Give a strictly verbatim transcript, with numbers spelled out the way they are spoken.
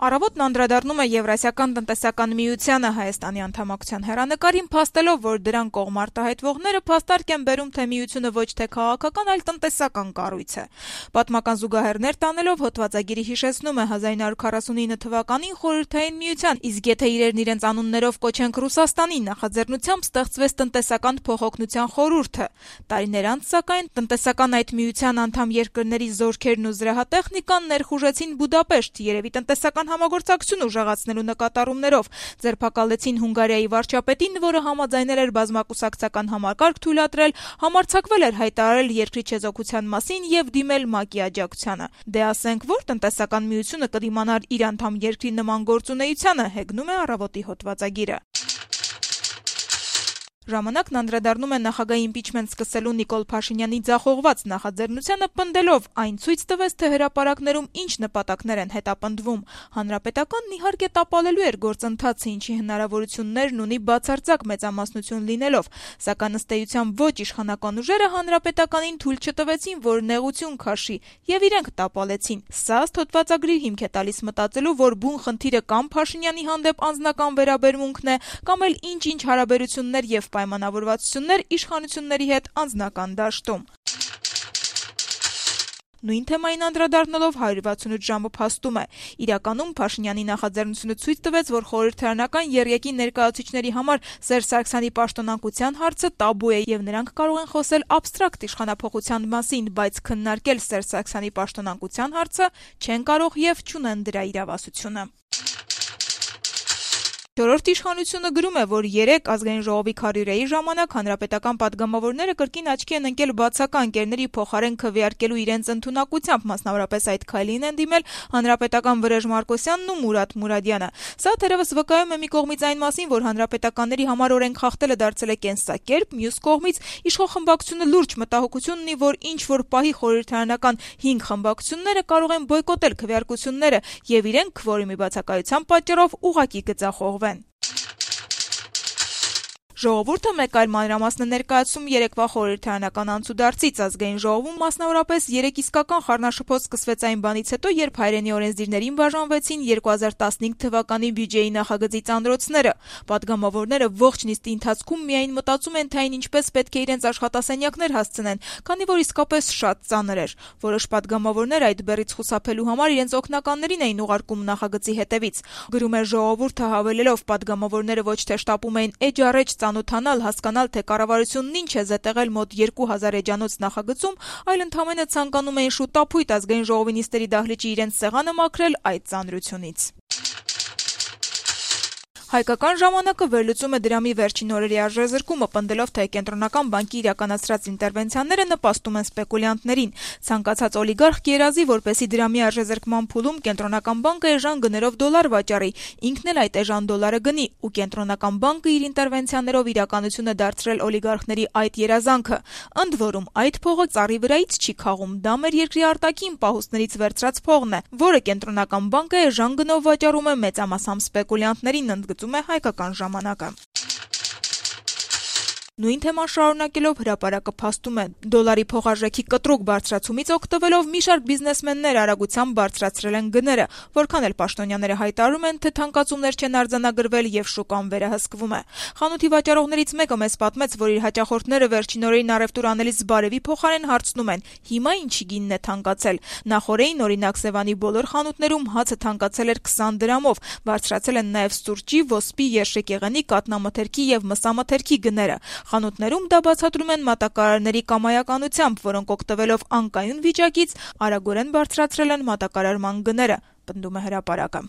Առավոտն անդրադառնում է Եվրասիական տնտեսական միությանը Հայաստանի անդամակցության հեռանկարին, փաստելով, որ դրան կողմ արտահայտվողները փաստարկ են բերում, թե միությունը ոչ թե քաղաքական, այլ տնտեսական կառույց է։ Պատմական զուգահեռներ տանելով հոդվածագիրը հիշեցնում է հազար ինը հարյուր քառասունինը թվականին Խորհրդային Միության, իսկ եթե իրերն իրենց անուններով կոչենք Ռուսաստանի նախաձեռնությամբ ստեղծվեց տնտեսական փոխօգնության խորհուրդը։ Տարիներ անց, սակայն, տնտեսական այդ միության անդամ երկրների զորքերն ու զրահատեխնիկան ներխուժեցին Բուդապեշտ, երևի տնտեսական համագործակցություն ուժեղացնելու նկատառումներով, ձերբակալեցին Հունգարիայի վարչապետին, որը համաձայնել էր բազմակուսակցական համակարգ թույլատրել, համարձակվել էր հայտարարել երկրի չեզոքության մասին եւ դիմել ՄԱԿ-ի աջակցությանը։ Դե ասենք, որ տնտեսական միությունը կդիմանար իր անդամ երկրի նման գործունեությանը, հեգնում է Առավոտի հոդվածագիրը։ Ժամանակն անդրադառնում է նախագահի իմպիչմենտ սկսելու Նիկոլ Փաշինյանի ձախողված նախաձեռնությանը, պնդելով, այն ցույց տվեց, թե հրապարակներում ինչ նպատակներ են հետապնդվում։ Հանրապետականն իհարկե տապալելու էր գործընթացը, ինչի հնարավորություններն ունի բացարձակ մեծամասնություն լինելով, սակայն ըստ էության ոչ իշխանական ուժերը հանրապետականին թույլ չտվեցին, որ նեղություն քաշի, եւ իրենք տապալեցին։ Սա ըստ հոդվածագրի հիմք է տալիս մտածելու, որ բուն խնդիրը կամ Փաշինյանի հանդեպ անձնական վերաբերմունքն է, կամ էլ ինչ-ինչ հարաբերություններ եւ պայմանավորվածություններ իշխանությունների հետ անձնական դաշտում։ Նույն թեմային անդրադառնալով հարյուր վաթսունութ ժամը փաստում է. իրականում Փաշինյանի նախաձեռնությունը ցույց տվեց, որ խորհրդարանական եռյակի ներկայացուցիչների համար Սերժ Սարգսյանի պաշտոնակության հարցը տաբու է եւ նրանք կարող են խոսել աբստրակտ իշխանափոխության մասին, բայց քննարկել Սերժ Սարգսյանի պաշտոնակության հարցը չեն կարող եւ չունեն դրա իրավասությունը։ Չորրորդ իշխանությունը գրում է, որ երեկ ազգային ժողովի քարյուրայի ժամանակ հանրապետական պատգամավորները կրկին աչքի են ընկել բացական ընկերների փոխարեն քվեարկելու իրենց ընդունակությամբ, մասնավորապես այդ քայլին են դիմել հանրապետական Վրեժ Մարկոսյանն ու Մուրադ Մուրադյանը։ Սա թերևս վկայում է մի կողմից այն մասին, որ հանրապետականների համար օրենք խախտելը դարձել է կենսակերպ, մյուս կողմից իշխող խմբակցությունը լուրջ մտահոգություն ունի, որ ինչ որ պահի խորհրդարանական հինգ խմբակցությունները կարող են բոյկոտել քվեարկությունները եւ իրենք քվորումի բացակայության պատճառով ուղղակի գծախողվեն։ Ժողովուրդը մեկ այլ մանրամասն է ներկայացում երեկվա խորհրդարանական անցուդարձից ազգային ժողովում, մասնավորապես երեք իսկական խառնաշփոթ սկսվեց այն բանից հետո, երբ հայրենի օրենսդիրներին բաժանվեցին երկու հազար տասնհինգ թվականի բյուջեի նախագծի ծանրոցները։ Պատգամավորները ողջ նիստի ընթացքում միայն մտածում են, թե այն ինչպես պետք է իրենց աշխատասենյակներ հասցնեն, քանի որ իսկապես շատ ծանր էր։ Որոշ պատգամավորներ այդ բեռից խուսափելու համար իրենց օգնականներին էին ուղարկում նախագծի հետևից։ Գրում է ժողովուրդը, հավելելով, պատգամավորները ոչ թե շտապում էին էջ-առեջ ծանոթանալ, հասկանալ, թե կառավարությունն ինչ է զետեղել մոտ երկու հազար էջանոց նախագծում, այլ ընդամենը ցանկանում էին շուտապույտ ազգային ժողովի նիստերի դահլիճի իրենց սեղանը մաքրել այդ ծանրությունից։ Հայկական ժամանակը վերլուծում է դրամի վերջին օրերի արժեզրկումը, պնդելով, թե կենտրոնական բանկի իրականացրած ինտերվենցիաները նպաստում են սպեկուլյանտներին։ Ցանկացած օլիգարխ կերազի, որպեսզի դրամի արժեզրկման փուլում կենտրոնական բանկը էժան գներով դոլար վաճառի, ինքն էլ այդ էժան դոլարը գնի, ու կենտրոնական բանկը իր ինտերվենցիաներով իրականություն է դարձրել օլիգարխների այդ երազանքը։ Ընդ որում, այդ փողը ծառի վրայից չի քաղում, դա մեր երկրի արտաքին պահուստներից վերցրած փողն է, որը կենտրոնական բանկը էժան գնով վաճառում է մեծամասամբ սպեկուլյանտներին, ընդգծում է Հայկական ժամանակը։ Նույն թեման շարունակելով հրապարակը փաստում է. դոլարի փոխարժեքի կտրուկ բարձրացումից օգտվելով մի շարք բիզնեսմեններ արագությամբ բարձրացրել են գները, որքան էլ պաշտոնյաները հայտարարում են, թե թանկացումներ չեն արձանագրվել եւ շուկան վերահսկվում է։ Խանութի վաճառողներից մեկը մեզ պատմեց, որ իր հաճախորդները վերջին օրերին առևտուր անելիս բարևի փոխարեն հարցնում են. հիմա ինչի գինն է թանկացել։ Նախորդին, օրինակ, Սևանի բոլոր խանութներում հացը թանկացել էր քսան դրամով, բարձրացել են նաեւ սուրճի, ոսպի, երշիկեղենի, կատնամթերքի եւ մսամթերքի գները։ Խանութներում դա բացատրում են մատակարարների կամայականությամբ, որոնք օգտվելով անկայուն վիճակից արագորեն բարձրացրել են մատակարարման գները, պնդում է հրապարակը։